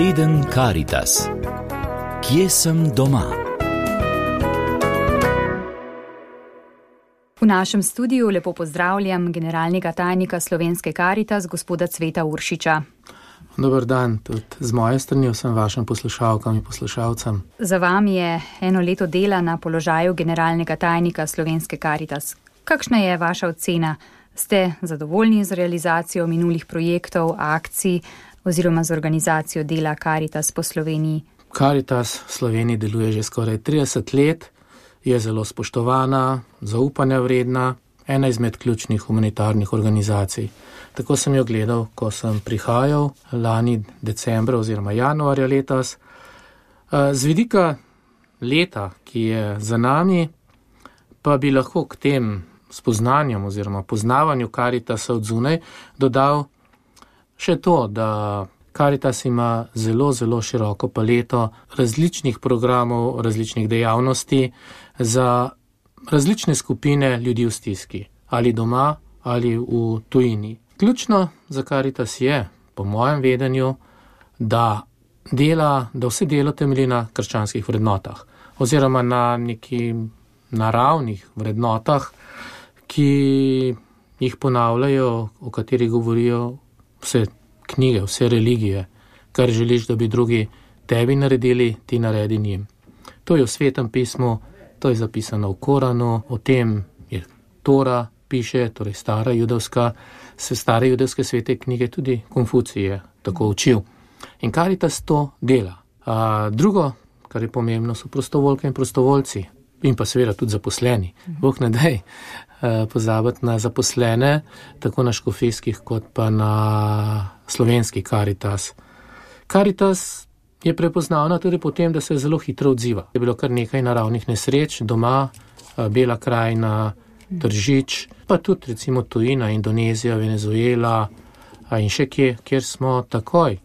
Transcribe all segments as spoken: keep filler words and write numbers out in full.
Teden Karitas. Kje sem doma? V našem studiu lepo pozdravljam generalnega tajnika Slovenske Karitas, gospoda Cveta Uršiča. Dobar dan, tudi z moje strani vsem vašim poslušalkam in poslušalcem. Za vami je eno leto dela na položaju generalnega tajnika Slovenske Karitas. Kakšna je vaša ocena? Ste zadovoljni z realizacijo minulih projektov, akcij oziroma z organizacijo dela Karitas po Sloveniji? Karitas v Sloveniji deluje že skoraj trideset let, je zelo spoštovana, zaupanja vredna, ena izmed ključnih humanitarnih organizacij. Tako sem jo gledal, ko sem prihajal lani decembra oziroma januarja letos. Z vidika leta, ki je za nami, pa bi lahko k tem spoznanjem oziroma poznavanju Karitasa od zunaj dodal še to, da Karitas ima zelo, zelo široko paleto različnih programov, različnih dejavnosti za različne skupine ljudi v stiski, ali doma, ali v tujini. Ključno za Karitas je, po mojem vedenju, da, dela, da vse delo temelji na krščanskih vrednotah, oziroma na neki naravnih vrednotah, ki jih ponavljajo, o katerih govorijo vse knjige, vse religije, kar želiš, da bi drugi tebi naredili, ti naredi njim. To je v Svetem pismu, to je zapisano v Koranu, o tem je Tora piše, torej stara judovska, se stare judovske svete knjige, tudi Konfucij je tako učil. In Karitas to dela. A drugo, kar je pomembno, so prostovoljke in prostovoljci. In pa seveda tudi zaposleni. Bog ne daj pozabiti na zaposlene, tako na škofijskih, kot pa na slovenski Karitas. Karitas je prepoznavna tudi po tem, da se zelo hitro odziva. Je bilo kar nekaj naravnih nesreč doma, Bela krajina, Tržič, pa tudi recimo tujina, Indonezija, Venezuela in še kje, kjer smo takoj,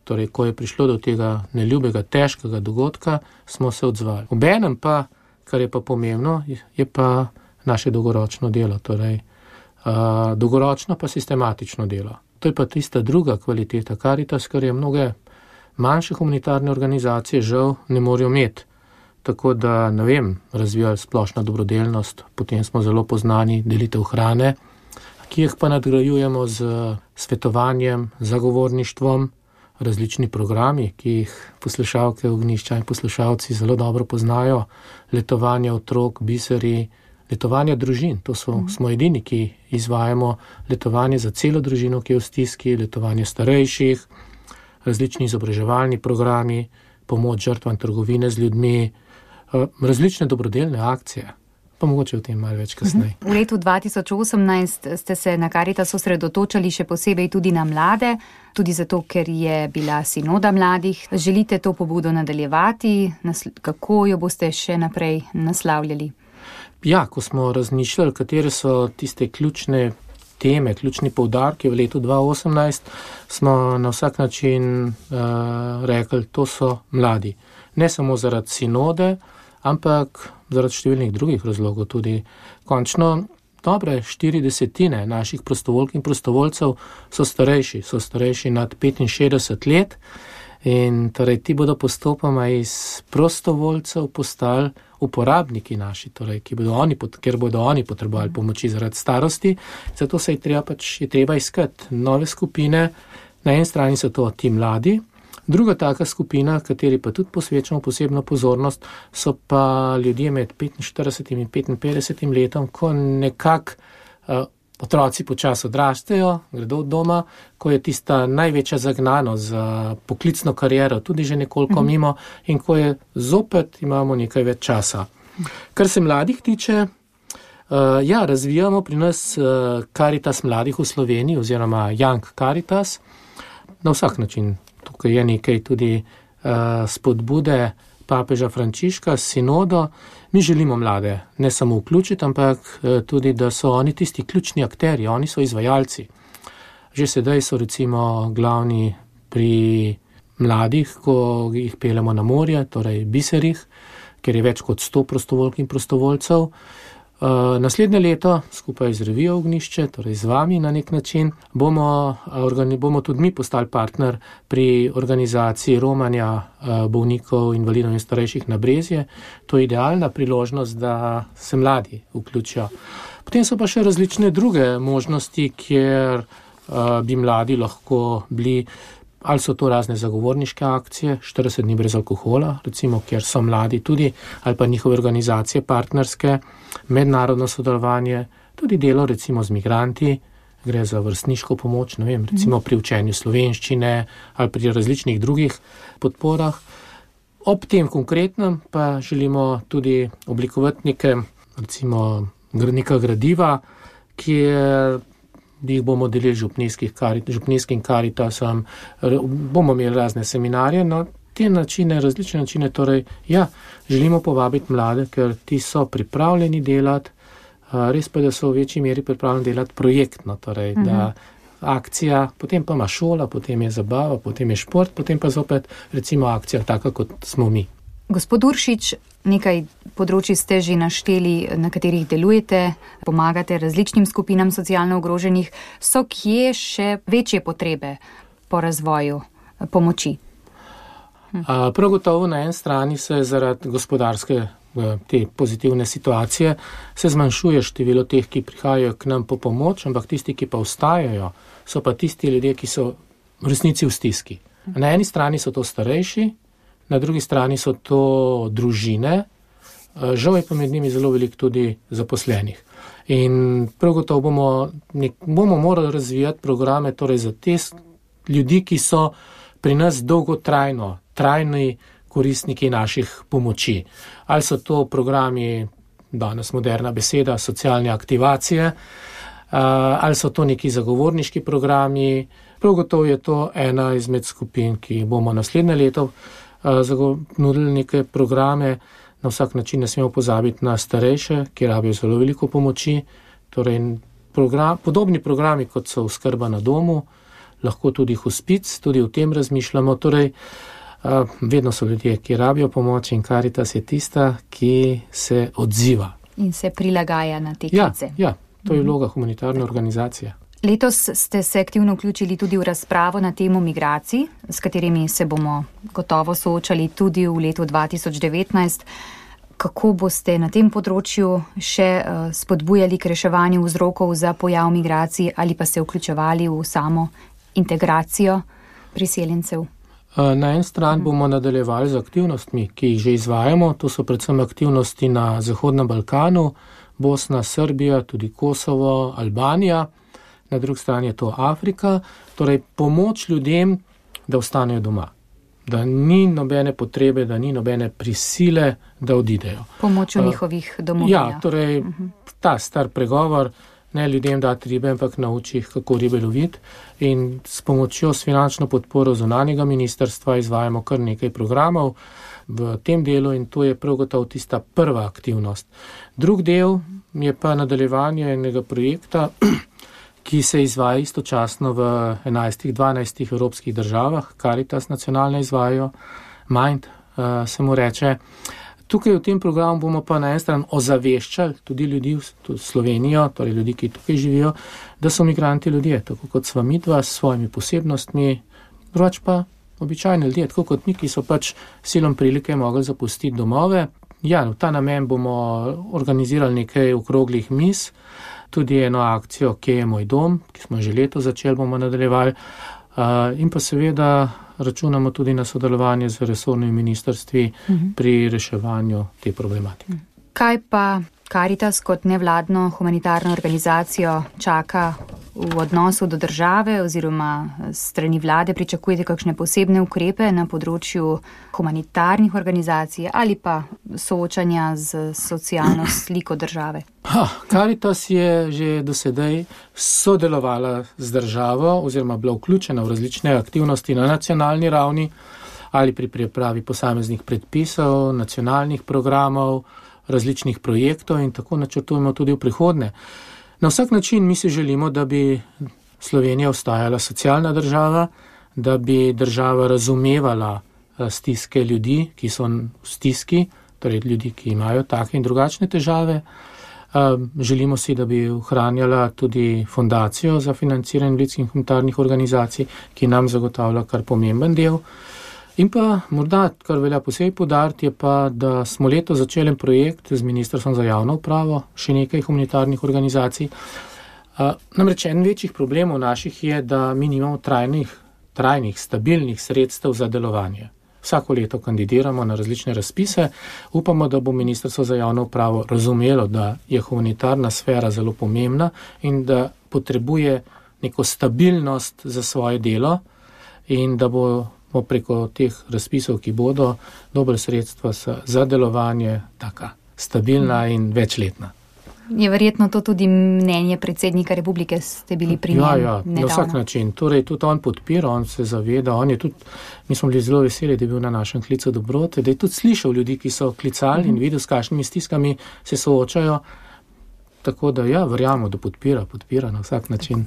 torej ko je prišlo do tega neljubega, težkega dogodka, smo se odzvali. Obenem pa, kar je pa pomembno, je pa naše dolgoročno delo, torej uh, dolgoročno pa sistematično delo. To je pa tista druga kvaliteta Karitas, kar je mnoge manjše humanitarne organizacije žal ne morejo imeti. Tako da, ne vem, razvijali splošna dobrodelnost, potem smo zelo poznani delitev hrane, ki jih pa nadgrajujemo z svetovanjem, zagovorništvom, različni programi, ki jih poslušalke Ognjišča in poslušalci zelo dobro poznajo, letovanje otrok, biseri, letovanje družin, to so, mm. smo edini, ki izvajamo letovanje za celo družino, ki je v stiski, letovanje starejših, različni izobraževalni programi, pomoč žrtvam trgovine z ljudmi, različne dobrodelne akcije, pa mogoče o tem malo več kasneje. V letu dva tisoč osemnajst ste se na Karitas osredotočali še posebej tudi na mlade, tudi zato, ker je bila sinoda mladih. Želite to pobudo nadaljevati? Kako jo boste še naprej naslavljali? Ja, ko smo razmišljali, katere so tiste ključne teme, ključni poudarki v letu dva tisoč osemnajst, smo na vsak način uh, rekli, to so mladi. Ne samo zaradi sinode, ampak zaradi številnih drugih razlogov tudi. Končno dobre štiri desetine naših prostovoljk in prostovoljcev so starejši, so starejši nad petinšestdeset let in torej ti bodo postopoma iz prostovoljcev postali uporabniki naši, torej, ki bodo oni, ker bodo oni potrebovali pomoči zaradi starosti, zato se je treba, pač, je treba iskati nove skupine. Na eni strani so to ti mladi, druga taka skupina, kateri pa tudi posvečamo posebno pozornost, so pa ljudje med petinštiridesetim in petinpetdesetim letom, ko nekako uh, otroci počasi odrastejo, gredo od doma, ko je tista največja zagnanost za poklicno kariero tudi že nekoliko mm-hmm. mimo in ko je zopet imamo nekaj več časa. Kar se mladih tiče, uh, ja, razvijamo pri nas uh, Karitas mladih v Sloveniji oziroma Young Karitas na vsak način. Tukaj je nekaj tudi uh, spodbude papeža Frančiška s sinodo. Mi želimo mlade ne samo vključiti, ampak uh, tudi, da so oni tisti ključni akterji, oni so izvajalci. Že sedaj so recimo glavni pri mladih, ko jih peljemo na morje, torej biserih, ker je več kot sto prostovoljk in prostovoljcev. Uh, naslednje leto, skupaj z revijo Ognjišče, torej z vami na nek način, bomo, organi, bomo tudi mi postali partner pri organizaciji romanja uh, bolnikov, invalidov in starejših na Brezje. To je idealna priložnost, da se mladi vključijo. Potem so pa še različne druge možnosti, kjer uh, bi mladi lahko bili, ali so to razne zagovorniške akcije, štirideset dni brez alkohola, recimo, kjer so mladi tudi, ali pa njihove organizacije partnerske, mednarodno sodelovanje, tudi delo recimo z migranti, gre za vrstniško pomoč, ne vem, recimo pri učenju slovenščine ali pri različnih drugih podporah. Ob tem konkretnem pa želimo tudi oblikovati neke, recimo, neka gradiva, kjer jih bomo delili župnijskim karitasom, bomo imeli razne seminarje, no te načine, različne načine, torej ja, želimo povabiti mlade, ker ti so pripravljeni delati, res pa, da so v večji meri pripravljeni delati projektno, torej mhm. da akcija, potem pa ima šola, potem je zabava, potem je šport, potem pa zopet recimo akcija taka, kot smo mi. Gospod Uršič, nekaj področji ste že našteli, na katerih delujete, pomagate različnim skupinam socialno ogroženih. So kje še večje potrebe po razvoju pomoči? Hm. Prav gotovo na eni strani se zaradi gospodarske te pozitivne situacije se zmanjšuje število teh, ki prihajajo k nam po pomoč, ampak tisti, ki pa ostajajo, so pa tisti ljudje, ki so v resnici v stiski. Na eni strani so to starejši, na drugi strani so to družine, žal je pa med njimi zelo veliko tudi zaposlenih. In prav gotovo bomo, nek, bomo morali razvijati programe torej za te ljudi, ki so pri nas dolgotrajno, trajni koristniki naših pomoči. Ali so to programi, danes moderna beseda, socialne aktivacije, ali so to neki zagovorniški programi. Prav gotovo je to ena izmed skupin, ki bomo naslednje leto nudili neke programe. Na vsak način ne smemo pozabiti na starejše, ki rabijo zelo veliko pomoči. Torej, program, podobni programi, kot so oskrba na domu, lahko tudi hospic, tudi o tem razmišljamo. Torej, vedno so ljudje, ki rabijo pomoč in Karitas je tista, ki se odziva. In se prilagaja na te klice. Ja, ja, to je vloga humanitarne organizacije. Letos ste se aktivno vključili tudi v razpravo na temo migracij, s katerimi se bomo gotovo soočali tudi v letu dva tisoč devetnajst. Kako boste na tem področju še spodbujali k reševanju vzrokov za pojav migracij ali pa se vključevali v samo integracijo priseljencev? Na en stran bomo nadaljevali z aktivnostmi, ki jih že izvajamo. To so predvsem aktivnosti na Zahodnem Balkanu, Bosna, Srbija, tudi Kosovo, Albanija. Na drugi strani je to Afrika, torej pomoč ljudem, da ostanejo doma. Da ni nobene potrebe, da ni nobene prisile, da odidejo. Pomoč v uh, njihovih domovinah. Ja, torej uh-huh. ta star pregovor, ne ljudem dati ribe, ampak nauči jih, kako ribe loviti. In s pomočjo, s finančno podporo zunanjega ministrstva izvajamo kar nekaj programov v tem delu in to je prav gotovo tista prva aktivnost. Drug del je pa nadaljevanje enega projekta, ki se izvaja istočasno v enajstih, dvanajstih evropskih državah, Karitas nacionalne izvajajo, Mind uh, se mu reče. Tukaj v tem programu bomo pa na en stran ozaveščali tudi ljudi v Slovenijo, torej ljudi, ki tukaj živijo, da so migranti ljudje, tako kot sva midva s svojimi posebnostmi, drugač pa običajni ljudje, tako kot mi, ki so pač silom prilike mogli zapustiti domove. Ja, v ta namen bomo organizirali nekaj okroglih miz, tudi eno akcijo, Kje je moj dom, ki smo že leto začeli, bomo nadaljevali. Uh, in pa seveda računamo tudi na sodelovanje z resornimi ministrstvi uh-huh. pri reševanju te problematike. Kaj pa Karitas kot nevladno humanitarno organizacijo čaka v odnosu do države oziroma strani vlade? Pričakujete kakšne posebne ukrepe na področju humanitarnih organizacij ali pa soočanja z socialno sliko države? Ha, Karitas je že do sedaj sodelovala z državo oziroma bila vključena v različne aktivnosti na nacionalni ravni ali pri pripravi posameznih predpisov, nacionalnih programov, različnih projektov in tako načrtujemo tudi v prihodnje. Na vsak način mi si želimo, da bi Slovenija ostajala socialna država, da bi država razumevala stiske ljudi, ki so v stiski, torej ljudi, ki imajo take in drugačne težave. Želimo si, da bi ohranjala tudi fondacijo za financiranje invalidskih in humanitarnih organizacij, ki nam zagotavlja kar pomemben del. In pa morda, kar velja posebej poudariti, je pa, da smo leto začeli projekt z Ministrstvom za javno upravo, še nekaj humanitarnih organizacij. Namreč en večjih problemov naših je, da mi nimamo trajnih, trajnih, stabilnih sredstev za delovanje. Vsako leto kandidiramo na različne razpise. Upamo, da bo Ministrstvo za javno upravo razumelo, da je humanitarna sfera zelo pomembna in da potrebuje neko stabilnost za svoje delo in da bo preko teh razpisov, ki bodo, dobre sredstva za delovanje taka stabilna in večletna. Je verjetno to tudi mnenje predsednika republike, ste bili pri njem ja, ja, nedavno? Na vsak način. Torej, tudi on podpira, on se zaveda, on je tudi, mi smo bili zelo veseli, da je bil na našem klicu dobrote, da je tudi slišal ljudi, ki so klicali in videl, s kakšnimi stiskami se soočajo. Tako da ja, verjamo, da podpira, podpira na vsak način.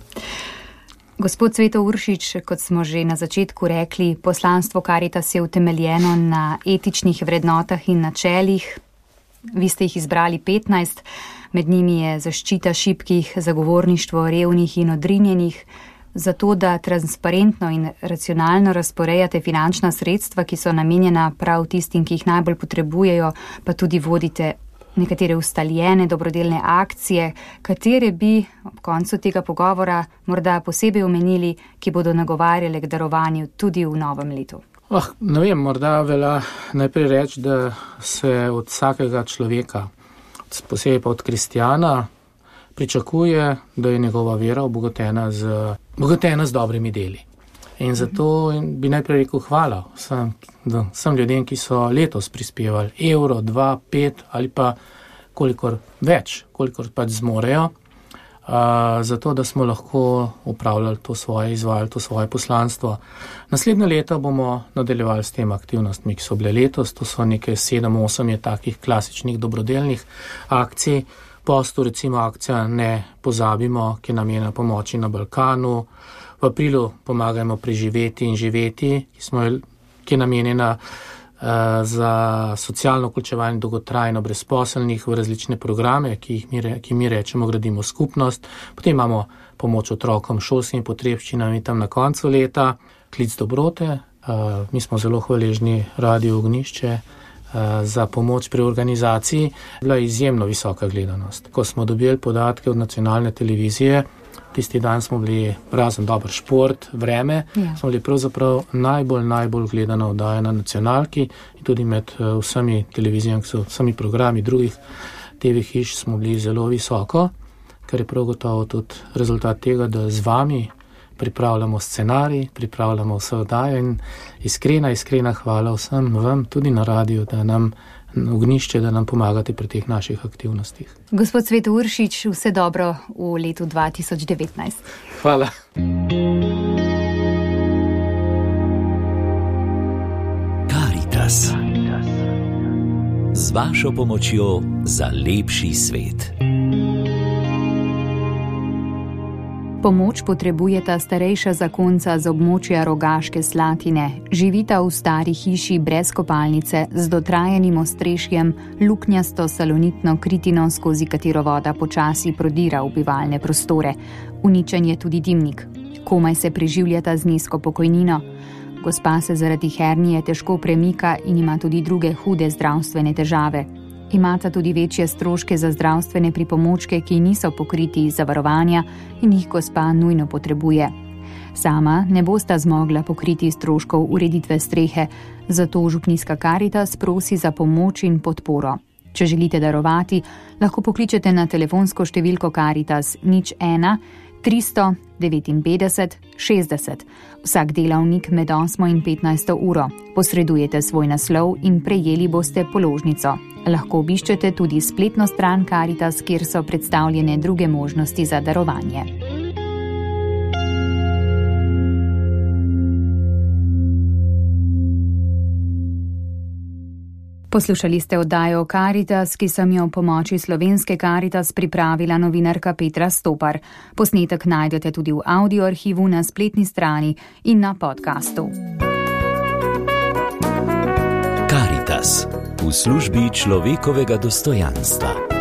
Gospod Cveto Uršič, kot smo že na začetku rekli, poslanstvo Karitas je utemeljeno na etičnih vrednotah in načelih. Vi ste jih izbrali petnajst, med njimi je zaščita šibkih, zagovorništvo revnih in odrinjenih, zato da transparentno in racionalno razporejate finančna sredstva, ki so namenjena prav tistim, ki jih najbolj potrebujejo, pa tudi vodite nekatere ustaljene dobrodelne akcije, katere bi ob koncu tega pogovora morda posebej omenili, ki bodo nagovarjale k darovanju tudi v novem letu. Oh, ne vem, morda velja najprej reči, da se od vsakega človeka, posebej pa od kristjana, pričakuje, da je njegova vera obogatena z, obogatena z dobrimi deli. In zato bi najprej rekel hvala vsem, vsem ljudem, ki so letos prispevali evro, dva, pet ali pa kolikor več, kolikor pač zmorejo, uh, zato da smo lahko upravljali to svoje, izvajali to svoje poslanstvo. Naslednje leto bomo nadaljevali s tem aktivnostmi, ki so bile letos, to so nekaj sedem, osem je takih klasičnih dobrodelnih akcij. Postu recimo akcija Ne pozabimo, ki je namenjena pomoči na Balkanu. V aprilu pomagajmo preživeti in živeti, ki, smo, ki je namenjena uh, za socialno vključevanje dolgotrajno brezposelnih v različne programe, ki jih mi, re, ki mi rečemo gradimo skupnost. Potem imamo pomoč otrokom šolskimi potrebščinami tam na koncu leta, klic dobrote. Uh, mi smo zelo hvaležni Radiu Ognjišče uh, za pomoč pri organizaciji. Bila je izjemno visoka gledanost. Ko smo dobili podatke od nacionalne televizije, tisti dan smo bili razen dober šport, vreme, ja. smo bili pravzaprav najbolj, najbolj gledana oddaja na nacionalki in tudi med uh, vsemi televizijami, vsemi programi drugih te ve hiš smo bili zelo visoko, kar je prav gotovo tudi rezultat tega, da z vami pripravljamo scenarij, pripravljamo vse oddaje in iskrena, iskrena hvala vsem vam, tudi na radiju, da nam Ognjišče, da nam pomagate pri teh naših aktivnostih. Gospod Cveto Uršič, vse dobro v letu dva tisoč devetnajst. Hvala. Karitas. Z vašo pomočjo za lepši svet. Pomoč potrebujeta starejša zakonca z območja Rogaške Slatine. Živita v stari hiši brez kopalnice, z dotrajanim ostrešjem, luknjasto salonitno kritino, skozi katero voda počasi prodira v bivalne prostore. Uničen je tudi dimnik. Komaj se preživljata z nizko pokojnino. Gospa se zaradi hernije težko premika in ima tudi druge hude zdravstvene težave. Imata tudi večje stroške za zdravstvene pripomočke, ki niso pokriti iz zavarovanja in jih gospa nujno potrebuje. Sama ne bosta zmogla pokriti stroškov ureditve strehe, zato župnijska Karitas prosi za pomoč in podporo. Če želite darovati, lahko pokličete na telefonsko številko Karitas nič ena tristo devetinpetdeset šestdeset. Vsak delavnik med osmo in petnajsto uro. Posredujete svoj naslov in prejeli boste položnico. Lahko obiščete tudi spletno stran Karitas, kjer so predstavljene druge možnosti za darovanje. Poslušali ste oddajo Karitas, ki sem jo v pomoči slovenske Karitas pripravila novinarka Petra Stopar. Posnetek najdete tudi v audio arhivu na spletni strani in na podkastu. Karitas v službi človekovega dostojanstva.